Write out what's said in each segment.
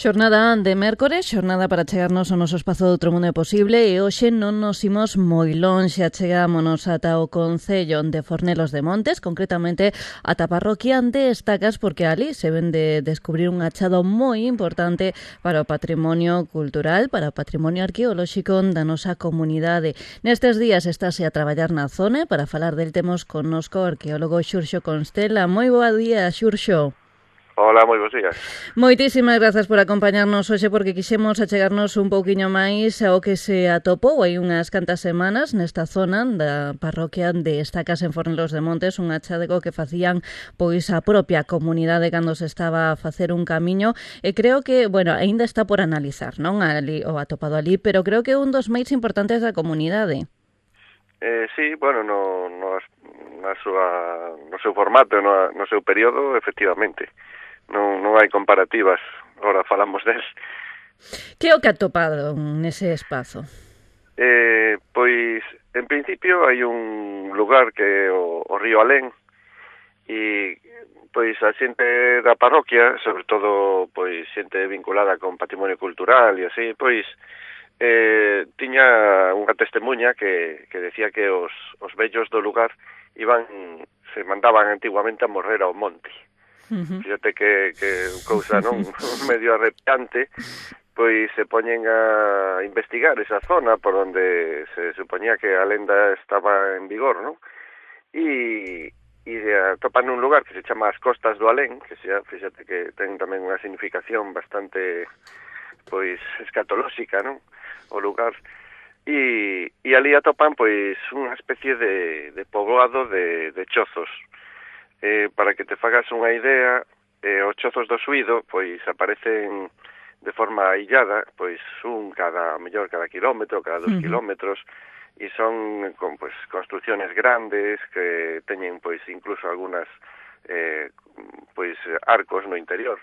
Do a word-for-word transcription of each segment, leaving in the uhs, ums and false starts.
Xornada de mércores, xornada para chegarnos ao noso espazo do outro mundo posible e hoxe non nos imos moi lonxe, achegámonos ata o Concello de Fornelos de Montes, concretamente ata a parroquia de Estacas, porque ali se ven de descubrir un achado moi importante para o patrimonio cultural, para o patrimonio arqueolóxico da nosa comunidade. Nestes días estáse a traballar na zona, para falar del temos connosco o arqueólogo Xurxo Constela. Moi boa día, Xurxo. Hola, moi bons días. Moitísimas grazas por acompañarnos hoxe, porque quixemos achegarnos un pouquiño máis ao que se atopou hai unhas cantas semanas nesta zona da parroquia de Estacas en Fornelos de Montes, un achadego que facían pois a propia comunidade cando se estaba a facer un camiño, e creo que, bueno, aínda está por analizar, non, ali, o atopado ali, pero creo que é un dos máis importantes da comunidade. Eh, sí, bueno, no, no, na súa, no seu formato, no, no seu período, efectivamente. Non, non hai comparativas, agora falamos del. Que é o que atopado nese espazo? Eh, pois, en principio, hai un lugar que é o, o río Alén, e pois a xente da parroquia, sobre todo pois xente vinculada con patrimonio cultural e así, pois eh, tiña unha testemunha que, que decía que os, os vellos do lugar iban, se mandaban antiguamente a morrer ao monte. Uh-huh. Fíjate que, que cousa non medio arrepiante, pois se poñen a investigar esa zona por onde se supoñía que a lenda estaba en vigor, non? E, e atopan un lugar que se chama as Costas do Alén, que xa, fíjate que ten tamén unha significación bastante pois escatolóxica, non? O lugar. E, e ali atopan pois unha especie de, de poboado de, de chozos. Eh, para que te fagas unha idea, eh, os chozos do Suído pois aparecen de forma aillada, pois un cada, mellor cada kilómetro, cada dos uh-huh. kilómetros, e son con pois construcciones grandes que teñen pois incluso algunhas eh, pois arcos no interior.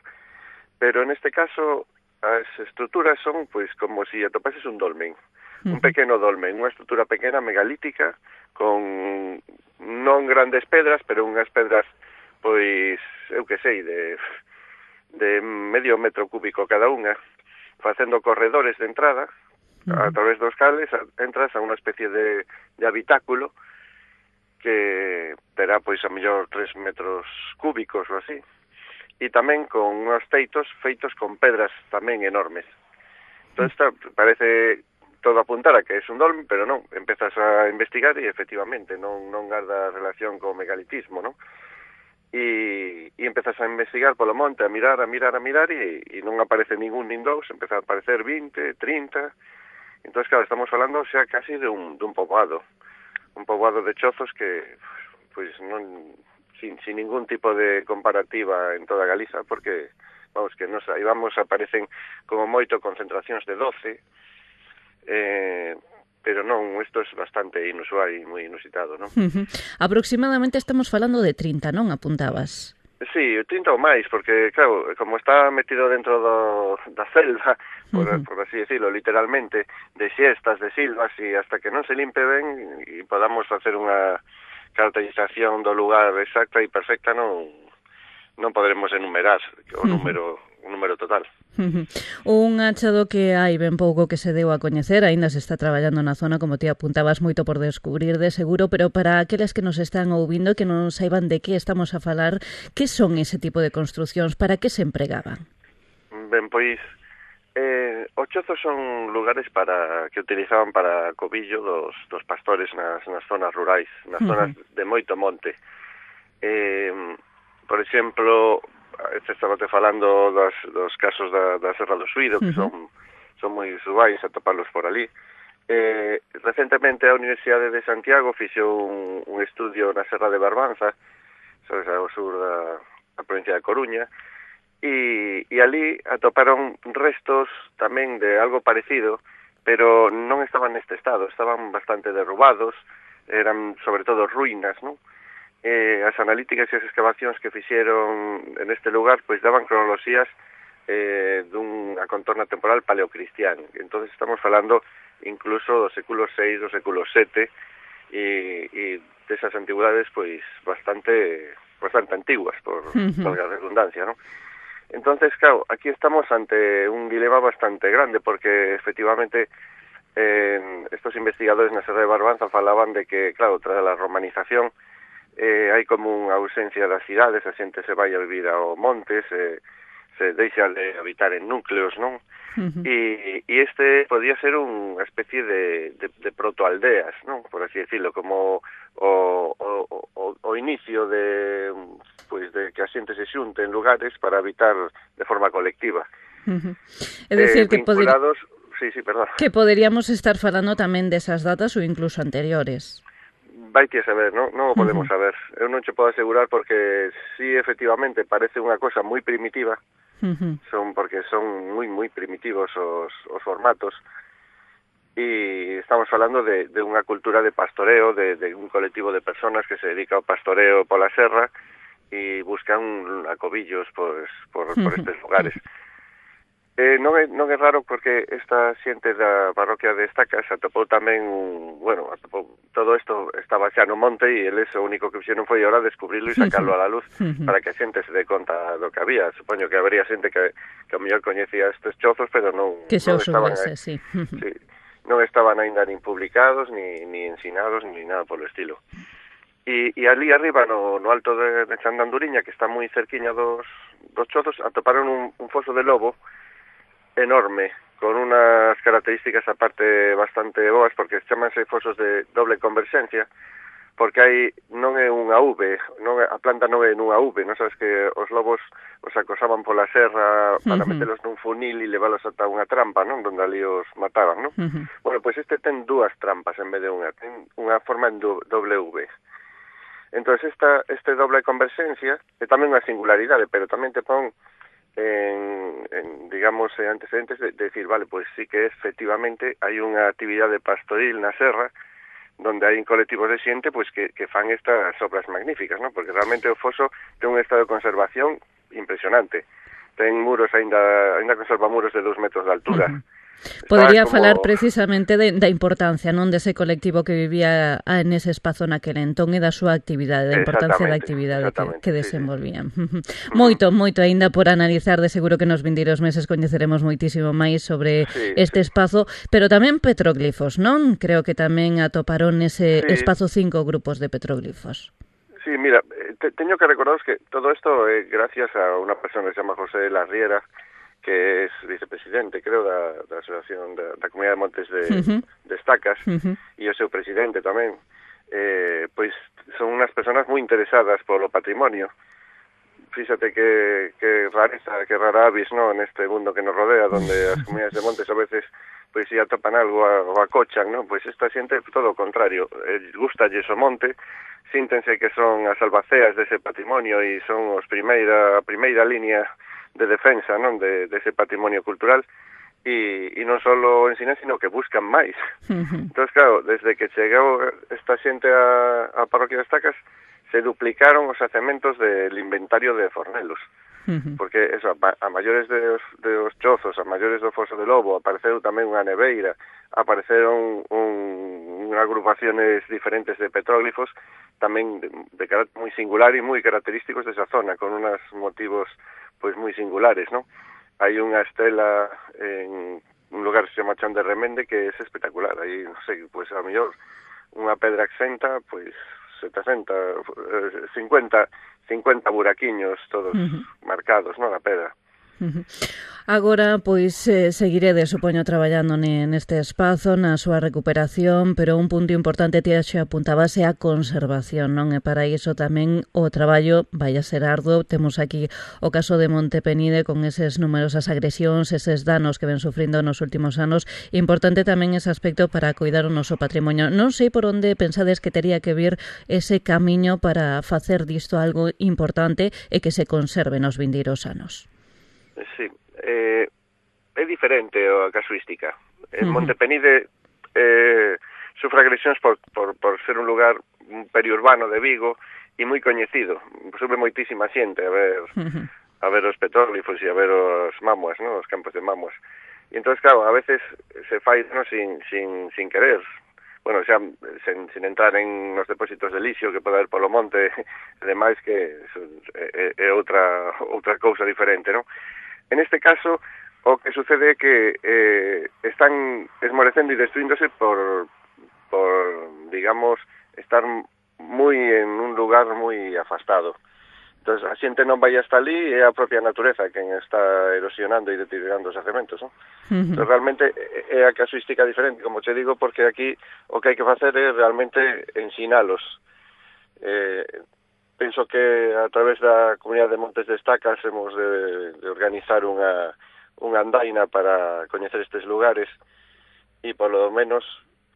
Pero neste caso as estruturas son pois como se si atopases un dolmen, uh-huh. un pequeno dolmen, unha estrutura pequena megalítica con non grandes pedras, pero unhas pedras, pois, eu que sei, de, de medio metro cúbico cada unha, facendo corredores de entrada, uh-huh. a través dos cales, entras a unha especie de, de habitáculo que terá, pois, a mellor tres metros cúbicos ou así, e tamén con unhos teitos feitos con pedras tamén enormes. Entón, esta parece todo apuntar a que é un dolmen, pero non, empezas a investigar e efectivamente non, non garda relación co megalitismo, non? E, e empezas a investigar polo monte, a mirar, a mirar, a mirar e, e non aparece ningún nin dous, empeza a aparecer vinte, trinta, entón, claro, estamos falando xa casi de un, de un poboado, un poboado de chozos que, pois, non, sin, sin ningún tipo de comparativa en toda Galiza, porque, vamos, que nos aí vamos, aparecen como moito concentracións de doce, Eh, pero non, isto é bastante inusual e moi inusitado, non? Uh-huh. Aproximadamente estamos falando de trinta, non apuntabas? Sí, trinta ou máis, porque, claro, como está metido dentro do, da selva, por, uh-huh. por así decirlo, literalmente, de xestas, de silvas, e hasta que non se limpe ben e podamos facer unha caracterización do lugar exacta e perfecta, non, non poderemos enumerar o número, uh-huh. o número total. Uh-huh. Un achado que hai ben pouco que se deu a coñecer, aínda se está traballando na zona, como ti apuntabas, moito por descubrir de seguro, pero para aqueles que nos están ouvindo que non saiban de que estamos a falar, que son ese tipo de construcións, para que se empregaban? Ben, pois, eh, os chozos son lugares para que utilizaban para cobillo dos, dos pastores nas, nas zonas rurais, nas uh-huh. zonas de moito monte. Eh, por exemplo, este estaba te falando dos, dos casos da, da Serra do Suído, que uh-huh. son, son moi usuais atoparlos por ali. Eh, recentemente a Universidade de Santiago fixo un, un estudio na Serra de Barbanza, sabes, ao sur da, da provincia de Coruña, e, e ali atoparon restos tamén de algo parecido, pero non estaban neste estado, estaban bastante derrubados, eran sobre todo ruínas, non? Eh, as analíticas e as excavacións que fixeron en este lugar pois daban cronoloxías eh, dunha contorna temporal paleocristiana. Entonces estamos falando incluso do século seis, do século sete e, e desas antigüedades pois bastante bastante antiguas por, uh-huh. por a redundancia, non? Entonces, claro, aquí estamos ante un dilema bastante grande, porque efectivamente eh, estos investigadores na Serra de Barbanza falaban de que, claro, tras a romanización eh, hai como unha ausencia das cidades, a xente se vai a vivir ao montes, eh, se deixa de habitar en núcleos, non? Uh-huh. E, e este podía ser unha especie de, de, de protoaldeas, non? Por así decirlo, como o, o, o, o inicio de, pois, de que a xente se xunte en lugares para habitar de forma colectiva. Uh-huh. É dicir, eh, que vinculados... Sí, sí, perdón. Que poderíamos estar falando tamén desas datas ou incluso anteriores. Vai que saber, non, non o podemos uh-huh. saber. Eu non che podo asegurar porque sí, efectivamente, parece unha cosa moi primitiva, uh-huh. son porque son moi, moi primitivos os, os formatos, e estamos falando de, de unha cultura de pastoreo, de, de un colectivo de personas que se dedica ao pastoreo pola serra e buscan acobillos pues, por, uh-huh. por estes lugares. Eh, non, é, non é raro porque esta xente da parroquia de Estacas atopou tamén un, bueno, atopou, todo isto estaba xa no monte e eles o único que fixeron foi ahora descubrirlo e sacarlo a la luz para que a xente se dé conta do que había. Supoño que habería xente que, que a mellor coñecía estes chozos, pero non, que non estaban subese, sí. sí, non estaban aínda nin publicados, ni, ni ensinados, ni nada polo estilo. E, e ali arriba, no, no alto de, de Chandanduriña, que está moi cerquiña dos, dos chozos, atoparon un, un foso de lobo enorme, con unas características aparte bastante boas, porque chamanse fosos de doble converxencia, porque hai non é unha V, non é, a planta non é nunha V, non sabes que os lobos os acosaban pola serra para uh-huh. metelos nun funil e leválos ata unha trampa, non, donde ali os mataban, non? Uh-huh. Bueno, pois pues este ten dúas trampas en vez de unha, ten unha forma en doble V. Entonces esta este doble converxencia é tamén unha singularidade, pero tamén te pon En, en, digamos, antecedentes de, de decir, vale, pues sí que efectivamente hai unha actividade pastoril na serra donde hai colectivos de xente pues que, que fan estas obras magníficas, ¿no? Porque realmente o foso ten un estado de conservación impresionante. Ten muros, ainda, ainda conserva muros de dos metros de altura. Uh-huh. Podería como... falar precisamente de, da importancia, non, dese colectivo que vivía en ese espazo naquele entón e da súa actividade, da importancia da actividade que, que desenvolvían. Sí, sí. Moito, moito aínda por analizar, de seguro que nos vindeiros meses coñeceremos moitísimo máis sobre sí, este sí. espazo, pero tamén petróglifos, non? Creo que tamén atoparon nese sí. espazo cinco grupos de petróglifos. Sí, mira, te, teño que recordaros que todo isto é eh, gracias a unha persona que se chama José Larriera, que es vicepresidente, creo, da, da Asociación da, da Comunidade de Montes de, uh-huh. de Estacas, uh-huh. e o seu presidente tamén, eh, pois son unhas personas moi interesadas polo patrimonio. Fíxate que, que rareza, que rara avis, no, neste mundo que nos rodea, donde as comunidades de montes a veces pois si atopan algo o acochan, no? Pois esta xente é todo o contrario, eh, gustalles o monte, síntense que son as albaceas dese patrimonio e son os primeira, a primeira línea de defensa, non, de, de ese patrimonio cultural, e, e non só ensinan, sino que buscan máis. Uh-huh. Entón, claro, desde que chegou esta xente a, a parroquia de Estacas, se duplicaron os acementos del inventario de Fornelos. Uh-huh. Porque, eso, a, a maiores de os, de os chozos, a maiores do foso de lobo, apareceu tamén unha neveira, apareceron un, unha agrupaciones diferentes de petróglifos, tamén de, de carácter moi singular e moi característicos desa zona, con unos motivos pois moi singulares, non? Hai unha estela en un lugar que se chama Chón de Remende que é espectacular. Aí, non sei, pois a mellor unha pedra exenta, pois setenta, cincuenta, cincuenta buraquiños todos uh-huh. marcados, non, na pedra. Uh-huh. Agora, pois, eh, seguirede, supoño, traballando neste espazo, na súa recuperación, pero un punto importante ti xe apuntabase a conservación, non? E para iso tamén o traballo vai a ser arduo. Temos aquí o caso de Montepenide con eses numerosas agresións, eses danos que ven sufrindo nos últimos anos. Importante tamén ese aspecto para cuidar o noso patrimonio. Non sei por onde pensades que tería que vir ese camiño para facer disto algo importante e que se conserve nos vindeiros anos. Sí, eh, é diferente a casuística. En uh-huh. Montepenide eh, sufre agresións por, por, por ser un lugar periurbano de Vigo e moi coñecido. Sube moitísima xente a ver uh-huh. a ver os petróglifos e a ver os mamuas, ¿no? Os campos de mamuas. E entón, claro, a veces se fai no, sin, sin, sin querer, bueno, xa sen, sen entrar en os depósitos de lixo que pode haber polo monte e demais, que é, é outra outra cousa diferente, non? En este caso, o que sucede é que eh, están esmorecendo e destruíndose por, por, digamos, estar moi en un lugar moi afastado. Entón, a xente non vai hasta ali, é a propia natureza quen está erosionando e deteriorando os cementos, non? Uh-huh. Entón, realmente é a casuística diferente, como te digo, porque aquí o que hai que facer é realmente ensinalos. Eh, penso que a través da Comunidade de Montes de Estacas hemos de, de organizar unha, unha andaina para coñecer estes lugares e, polo menos,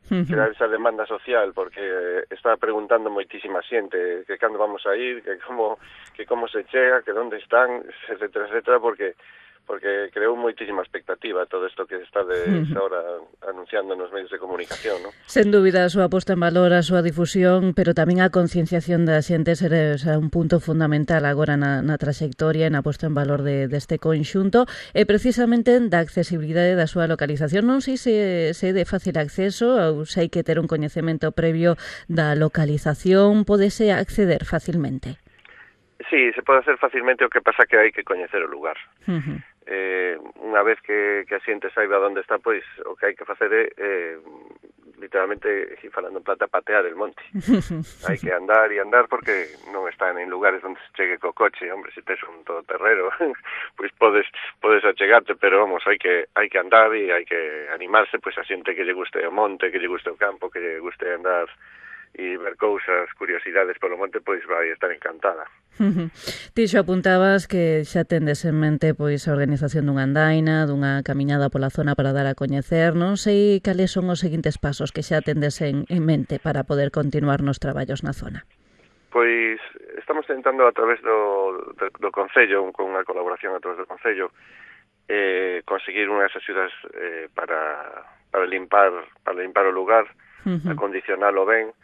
crear esa demanda social, porque está preguntando moitísima xente que cando vamos a ir, que como que como se chega, que onde están, etcétera, etcétera, porque porque creou moitísima expectativa todo isto que está de uh-huh. ahora anunciando nos medios de comunicación, ¿no? Sen dúbida a súa posta en valor, a súa difusión, pero tamén a concienciación da xente será, será un punto fundamental agora na, na trayectoria e na posta en valor de, deste conxunto, e precisamente da accesibilidade da súa localización. Non sei se, se é de fácil acceso ou se hai que ter un coñecemento previo da localización, podese acceder facilmente. Sí, se pode hacer facilmente, o que pasa que hai que coñecer o lugar. Uh-huh. Eh, unha vez que, que a xente saiba onde está, pois o que hai que facer é, eh, literalmente, falando en plata, patear el monte. Hai que andar e andar, porque non están en lugares onde se chegue co coche. Hombre, se tes un todoterreno, pois podes podes achegarte, pero vamos, hai que hai que andar e hai que animarse, pois a xente que lle guste o monte, que lle guste o campo, que lle guste andar e ver cousas, curiosidades polo monte, pois vai estar encantada. Uh-huh. Ti xo apuntabas que xa tendes en mente pois a organización dunha andaina, dunha camiñada pola zona para dar a coñecer. Non sei cales son os seguintes pasos que xa tendes en, en mente para poder continuar nos traballos na zona. Pois estamos tentando a través do, do, do Concello, con unha colaboración a través do Concello, eh, conseguir unhas axudas eh, para, para limpar para limpar o lugar, uh-huh. acondicionalo ben,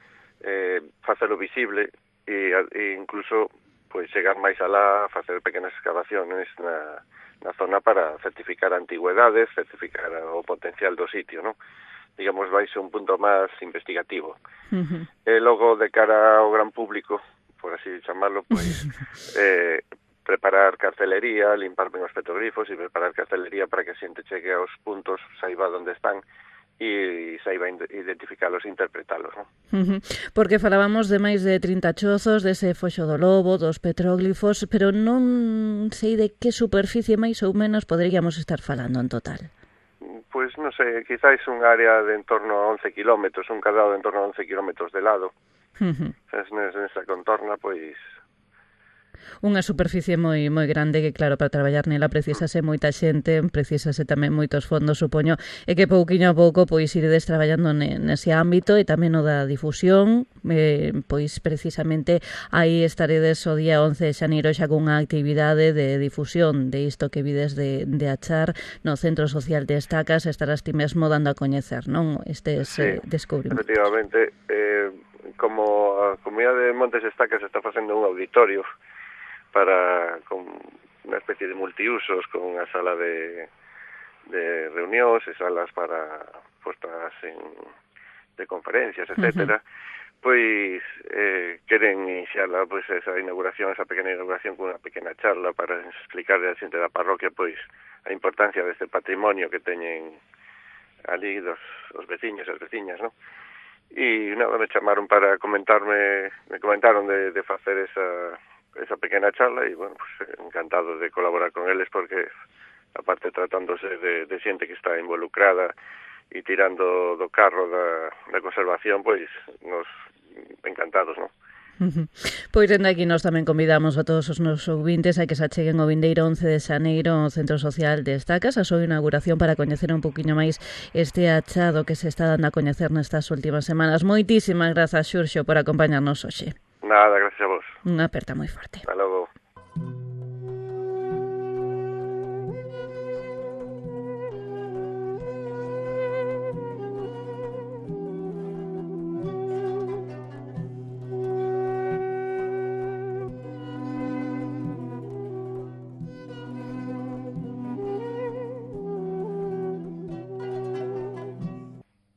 eh, facelo visible e, e incluso pois chegar máis alá, facer pequenas excavaciones na, na zona para certificar antigüedades, certificar o potencial do sitio, non? Digamos, vai ser un punto máis investigativo. Uh-huh. E logo, de cara ao gran público, por así chamarlo, pois eh, preparar cartelería, limpar ben os petroglifos e preparar cartelería para que a xente chegue aos puntos, saiba onde están, e saiba identificalos e interpretalos, non? Uh-huh. Porque falábamos de máis de trinta chozos, dese foxo do lobo, dos petróglifos, pero non sei de que superficie máis ou menos poderíamos estar falando en total. Pois non sei, quizáis un área de en torno a once kilómetros, un cadrado de en torno a once kilómetros de lado. Uh-huh. Nesa contorna, pois unha superficie moi moi grande que, claro, para traballar nela precisase moita xente, precisase tamén moitos fondos, supoño, e que pouquiño a pouco pois iredes traballando nese ámbito e tamén o da difusión, eh, pois precisamente aí estaredes o día once de xaneiro xa cunha actividade de difusión de isto que vides de, de achar no Centro Social de Estacas, estarás ti mesmo dando a coñecer, non? Estes sí, eh, descubrimentos. Efectivamente, eh, como a Comunidade de Montes de Estacas está facendo un auditorio para con unha especie de multiusos, con unha sala de, de reunións e salas para postas en, de conferencias, etcétera. Uh-huh. Pois eh, queren iniciarla, pois esa inauguración, esa pequena inauguración con unha pequena charla para explicarle a xente da parroquia pois a importancia deste patrimonio que teñen ali dos os veciños e as veciñas, non? E nada, me chamaron para comentarme, me comentaron de, de facer esa esa pequena charla e, bueno, pues encantado de colaborar con eles porque, aparte tratándose de, de xente que está involucrada e tirando do carro da, da conservación, pois nos encantados, non? Uh-huh. Pois dende aquí nós tamén convidamos a todos os nosos ouvintes a que se acheguen o vindeiro once de xaneiro ao Centro Social de Estacas a súa inauguración para coñecer un poquinho máis este achado que se está dando a coñecer nestas últimas semanas. Moitísimas grazas, Xurxo, por acompañarnos hoxe. Nada, gracias a vos. Unha aperta moi forte. Hasta logo.